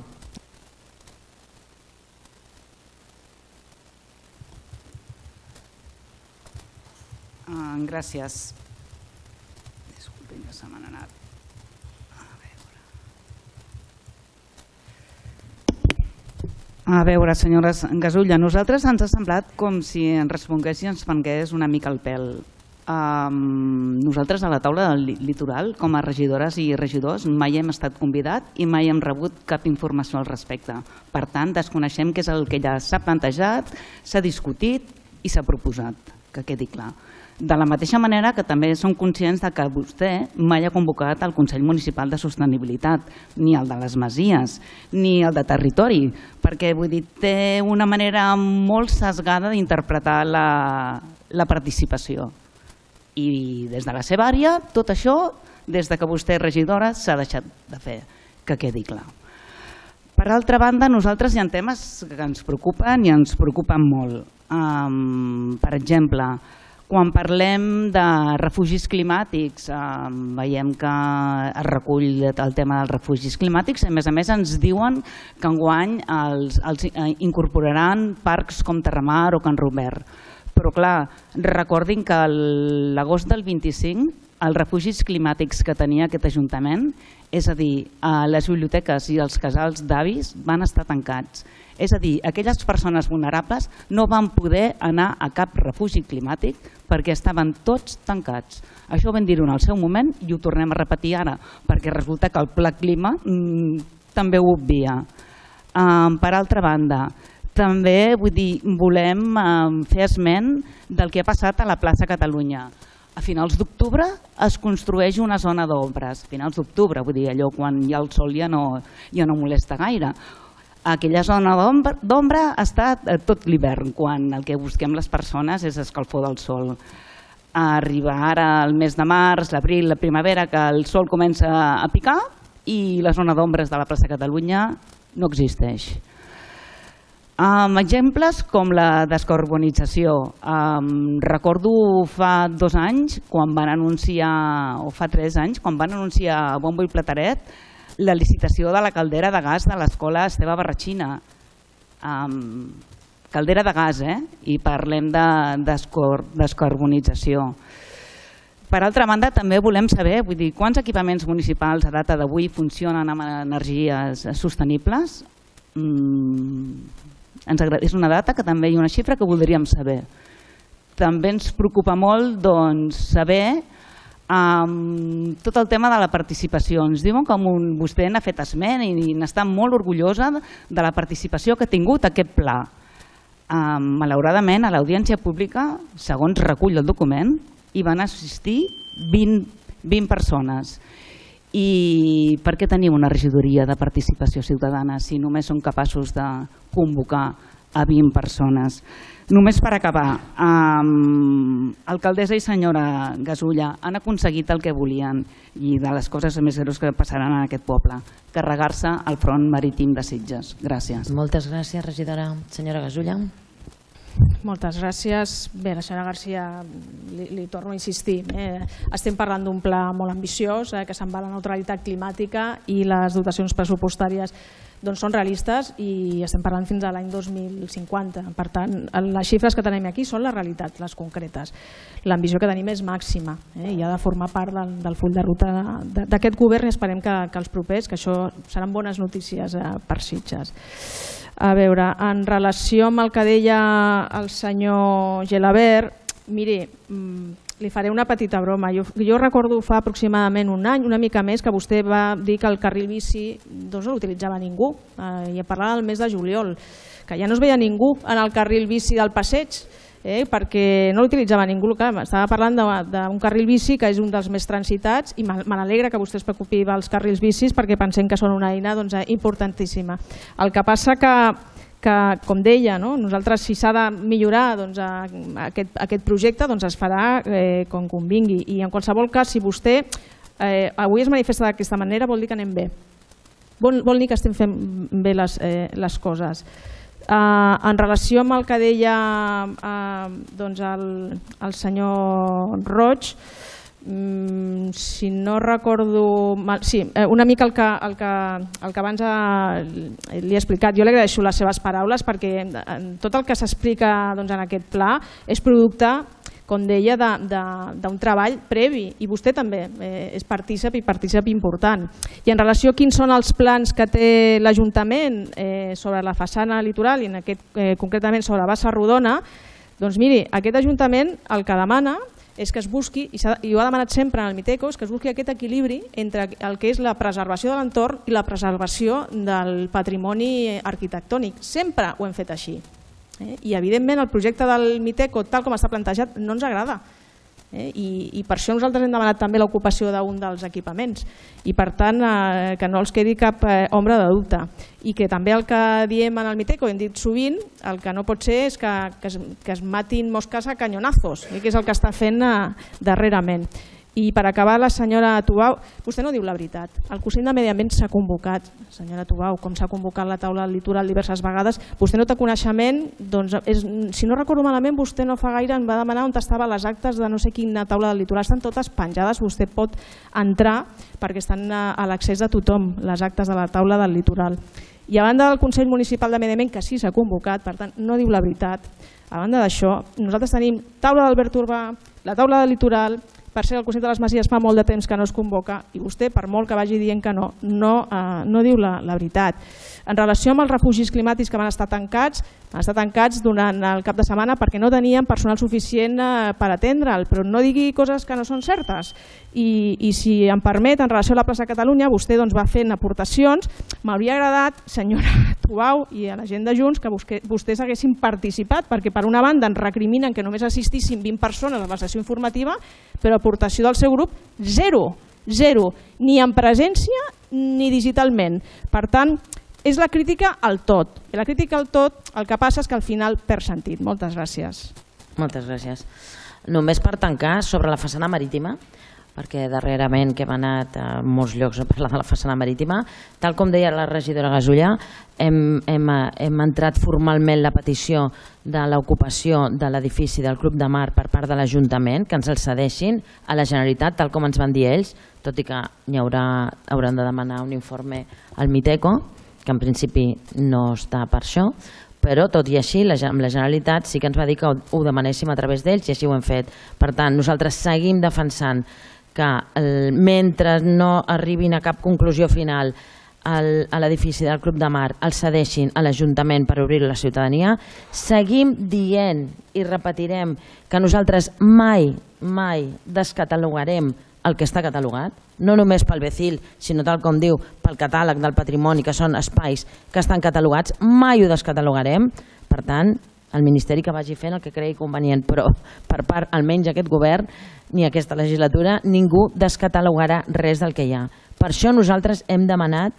Gràcies. Disculpin que se m'han anat. A veure, senyora Gasulla, a nosaltres ens ha semblat com si ens respongués i ens prengués una mica el pèl. Nosaltres a la taula del litoral, com a regidores i regidors, mai hem estat convidat i mai hem rebut cap informació al respecte. Per tant, desconeixem què és el que ja s'ha plantejat, s'ha discutit i s'ha proposat, que quedi clar. De la mateixa manera que també som conscients que vostè mai ha convocat el Consell Municipal de Sostenibilitat, ni el de les Masies, ni el de Territori, perquè té una manera molt sesgada d'interpretar la participació. I des de la seva àrea, tot això, des que vostè és regidora, s'ha deixat de fer, que quedi clar. Per altra banda, nosaltres hi ha temes que ens preocupen i ens preocupen molt. Per exemple, quan parlem de refugis climàtics, veiem que es recull el tema dels refugis climàtics i a més a més ens diuen que enguany els incorporaran parcs com Terramar o Can Robert. Però clar, recordin que l'agost del vint-i-cinc els refugis climàtics que tenia aquest Ajuntament, és a dir, les biblioteques i els casals d'avis van estar tancats. És a dir, aquelles persones vulnerables no van poder anar a cap refugi climàtic perquè estaven tots tancats. Això ho vam dir en el seu moment i ho tornem a repetir ara, perquè resulta que el Pla Clima també ho obvia. Per altra banda, també volem fer esment del que ha passat a la plaça Catalunya. A finals d'octubre es construeix una zona d'ombres. A finals d'octubre, vull dir, allò quan hi ha el sol ja no molesta gaire. Aquella zona d'ombra ha estat tot l'hivern, quan el que busquem les persones és escalfor del sol. Arriba ara el mes de març, l'abril, la primavera, que el sol comença a picar i la zona d'ombres de la plaça Catalunya no existeix. Exemples com la descarbonització. Recordo fa dos anys, quan van anunciar, o fa tres anys, quan van anunciar a bombo i plateret la licitació de la caldera de gas de l'escola Esteve Barratxina. caldera de gas, eh? I parlem de descarbonització. Per altra banda, també volem saber, vull dir, quants equipaments municipals a data d'avui funcionen amb energies sostenibles? És una data que també hi ha una xifra que voldríem saber. També ens preocupa molt saber tot el tema de la participació. Ens diuen que vostè n'ha fet esment i n'està molt orgullosa de la participació que ha tingut aquest pla. Malauradament, a l'audiència pública, segons recull el document, hi van assistir vint persones. I per què tenim una regidoria de participació ciutadana si només som capaços de convocar a vint persones? Només per acabar, alcaldessa i senyora Gasulla han aconseguit el que volien i de les coses més greus que passaran en aquest poble, carregar-se el front marítim de Sitges. Gràcies.
Moltes gràcies, regidora. Senyora Gasulla.
Moltes gràcies. Bé, la senyora Garcia, li torno a insistir, estem parlant d'un pla molt ambiciós que se'n va a la neutralitat climàtica i les dotacions pressupostàries són realistes i estem parlant fins a l'any dos mil cinquanta. Per tant, les xifres que tenim aquí són la realitat, les concretes. L'ambició que tenim és màxima i ha de formar part del full de ruta d'aquest govern i esperem que els propers, que això seran bones notícies per Sitges. A veure, en relació amb el que deia el senyor Gelabert, miri, li faré una petita broma. Jo recordo fa aproximadament un any, una mica més, que vostè va dir que el carril bici no l'utilitzava ningú, i parlava del mes de juliol, que ja no es veia ningú en el carril bici del passeig, perquè no l'utilitzava ningú. Estava parlant d'un carril bici que és un dels més transitats i me n'alegra que vostè es preocupi dels carrils bicis perquè pensem que són una eina importantíssima. El que passa que que, com deia, nosaltres si s'ha de millorar aquest projecte es farà com convingui. I en qualsevol cas, si vostè avui es manifesta d'aquesta manera, vol dir que anem bé. Vol dir que estem fent bé les coses. En relació amb el que deia el senyor Roig, si no recordo mal, sí, una mica el que abans li he explicat. Jo li agraeixo les seves paraules perquè tot el que s'explica en aquest pla és producte, com deia, d'un treball previ i vostè també és partícip i partícip important. I en relació a quins són els plans que té l'Ajuntament sobre la façana litoral i concretament sobre Bassa Rodona, doncs miri, aquest Ajuntament el que demana és que es busqui, i ho ha demanat sempre en el Miteco, és que es busqui aquest equilibri entre el que és la preservació de l'entorn i la preservació del patrimoni arquitectònic. Sempre ho hem fet així. I evidentment el projecte del Miteco, tal com està plantejat, no ens agrada. I per això nosaltres hem demanat també l'ocupació d'un dels equipaments i per tant que no els quedi cap ombra de dubte i que també el que diem en el Miteco, hem dit sovint, el que no pot ser és que es matin mosques a canyonazos, que és el que està fent darrerament. I per acabar, la senyora Tubau, vostè no diu la veritat. El Consell de Medi Ambient s'ha convocat, senyora Tubau, com s'ha convocat la taula del litoral diverses vegades. Vostè no té coneixement, doncs, si no recordo malament, vostè no fa gaire em va demanar on estaven les actes de no sé quina taula del litoral. Estan totes penjades, vostè pot entrar perquè estan a l'accés de tothom, les actes de la taula del litoral. I a banda del Consell Municipal de Medi Ambient, que sí s'ha convocat, per tant, no diu la veritat. A banda d'això, nosaltres tenim taula d'Albert Urbà, la taula del litoral. Per cert, el Consell de les Masies fa molt de temps que no es convoca i vostè, per molt que vagi dient que no, no diu la veritat. En relació amb els refugis climàtics que van estar tancats, van estar tancats durant el cap de setmana perquè no tenien personal suficient per atendre'l, però no digui coses que no són certes. I si em permet, en relació a la plaça Catalunya, vostè va fent aportacions. M'hauria agradat, senyora Tubau i a la gent de Junts, que vostès haguessin participat, perquè per una banda ens recriminen que només assistissin vint persones a la sessió informativa, però aportació del seu grup, zero, zero, ni en presència ni digitalment. Per tant, és la crítica al tot. I la crítica al tot el que passa és que al final perd sentit. Moltes gràcies.
Moltes gràcies. Només per tancar sobre la façana marítima, perquè darrerament que hem anat a molts llocs a parlar de la façana marítima, tal com deia la regidora Gasulla, hem entrat formalment la petició de l'ocupació de l'edifici del Club de Mar per part de l'Ajuntament, que ens el cedeixin a la Generalitat, tal com ens van dir ells, tot i que hauran de demanar un informe al Miteco, que en principi no està per això, però tot i així amb la Generalitat sí que ens va dir que ho demanéssim a través d'ells i així ho hem fet. Per tant, nosaltres seguim defensant que mentre no arribin a cap conclusió final a l'edifici del Club de Mar el cedeixin a l'Ajuntament per obrir-lo a la ciutadania, seguim dient i repetirem que nosaltres mai, mai descatalogarem el que està catalogat, no només pel B C I L, sinó tal com diu, pel catàleg del patrimoni, que són espais que estan catalogats, mai ho descatalogarem. Per tant, el Ministeri que vagi fent el que cregui convenient, però per part, almenys aquest govern, ni aquesta legislatura, ningú descatalogarà res del que hi ha. Per això nosaltres hem demanat,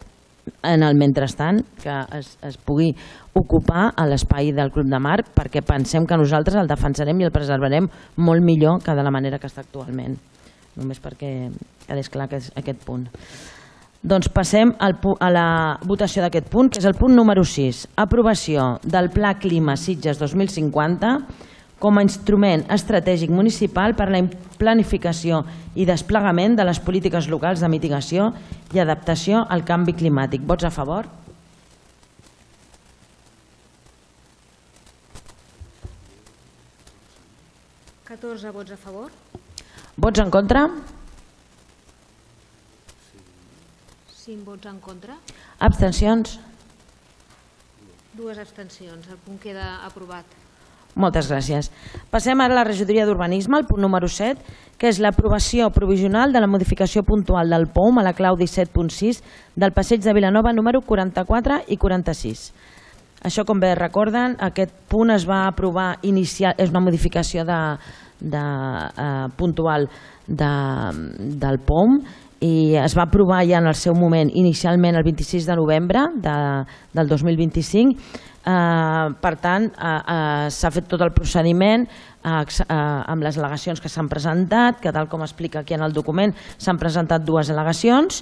en el mentrestant, que es, es pugui ocupar a l'espai del Club de Mar, perquè pensem que nosaltres el defensarem i el preservarem molt millor que de la manera que està actualment. Només perquè quedés clar aquest punt. Doncs passem a la votació d'aquest punt, que és el punt número sis. Aprovació del Pla Clima Sitges dos mil cinquanta com a instrument estratègic municipal per a la planificació i desplegament de les polítiques locals de mitigació i adaptació al canvi climàtic. Vots a favor?
catorze vots a favor.
Vots en contra?
cinc vots en contra.
Abstencions?
Dues abstencions. El punt queda aprovat.
Moltes gràcies. Passem ara a la regidoria d'Urbanisme, el punt número set, que és l'aprovació provisional de la modificació puntual del P O M a la clau disset punt sis del passeig de Vilanova número quaranta-quatre i quaranta-sis. Això, com bé recorden, aquest punt es va aprovar inicial, és una modificació de, de, eh, puntual de, del P O M i es va aprovar ja en el seu moment inicialment el vint-i-sis de novembre de, del dos mil vint-i-cinc. Eh, per tant, eh, eh, s'ha fet tot el procediment eh, eh, amb les al·legacions que s'han presentat, que tal com explica aquí en el document s'han presentat dues al·legacions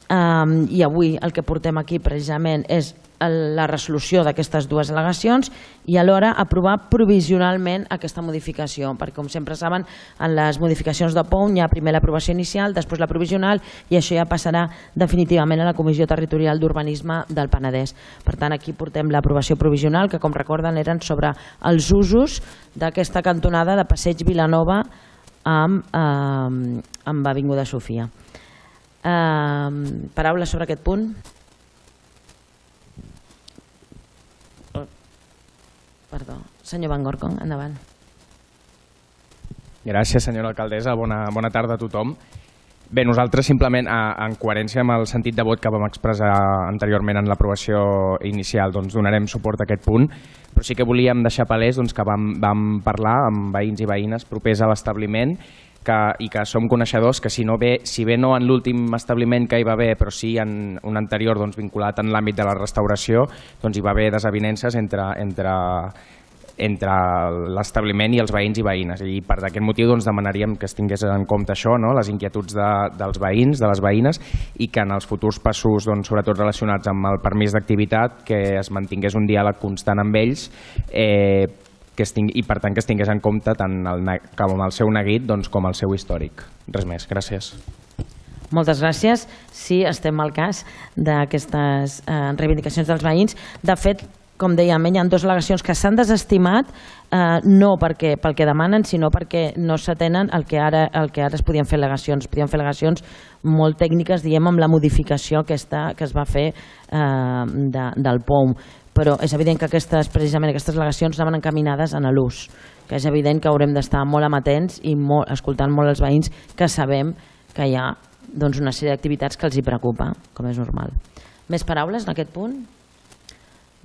eh, i avui el que portem aquí precisament és la resolució d'aquestes dues al·legacions i alhora aprovar provisionalment aquesta modificació, perquè com sempre saben en les modificacions de P O M hi ha primer l'aprovació inicial, després la provisional i això ja passarà definitivament a la Comissió Territorial d'Urbanisme del Penedès. Per tant, aquí portem l'aprovació provisional que, com recorden, eren sobre els usos d'aquesta cantonada de Passeig Vilanova amb, eh, amb Avinguda Sofia. Eh, paraules sobre aquest punt? Perdó. Senyor Van Gorkom, endavant.
Gràcies, senyora alcaldessa. Bona, bona tarda a tothom. Bé, nosaltres simplement, en coherència amb el sentit de vot que vam expressar anteriorment en l'aprovació inicial, doncs donarem suport a aquest punt, però sí que volíem deixar palès doncs, que vam, vam parlar amb veïns i veïnes propers a l'establiment que, i que som coneixedors que si, no bé, si bé no en l'últim establiment que hi va haver, però sí en un anterior doncs, vinculat en l'àmbit de la restauració, doncs hi va haver desavinences entre, entre, entre l'establiment i els veïns i veïnes. I per aquest motiu doncs, demanaríem que es tingués en compte això, no? Les inquietuds de, dels veïns, de les veïnes, i que en els futurs passos, doncs, sobretot relacionats amb el permís d'activitat, que es mantingués un diàleg constant amb ells, eh, que es tingui, i per tant que es tingués en compte tant el, com el seu neguit doncs, com el seu històric. Res més, gràcies.
Moltes gràcies. Sí, estem al cas d'aquestes eh, reivindicacions dels veïns. De fet, com dèiem, hi ha dues al·legacions que s'han desestimat, eh, no perquè, pel que demanen, sinó perquè no s'atenen el que ara, el que ara es podien fer al·legacions. Podien fer al·legacions molt tècniques, diem, amb la modificació aquesta que es va fer eh, de, del P O M. Però és evident que aquestes, precisament aquestes al·legacions anaven encaminades en l'ús, que és evident que haurem d'estar molt amatents i molt, escoltant molt els veïns, que sabem que hi ha doncs, una sèrie d'activitats que els hi preocupa, com és normal. Més paraules en aquest punt?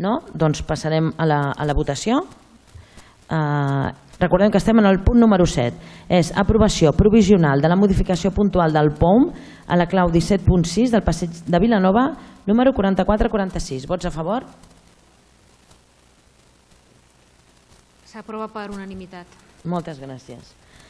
No? Doncs passarem a la, a la votació. Uh, recordem que estem en el punt número set. És aprovació provisional de la modificació puntual del P O M a la clau disset punt sis del passeig de Vilanova número quaranta-quatre quaranta-sis. Vots a favor?
S'aprova per unanimitat.
Moltes gràcies.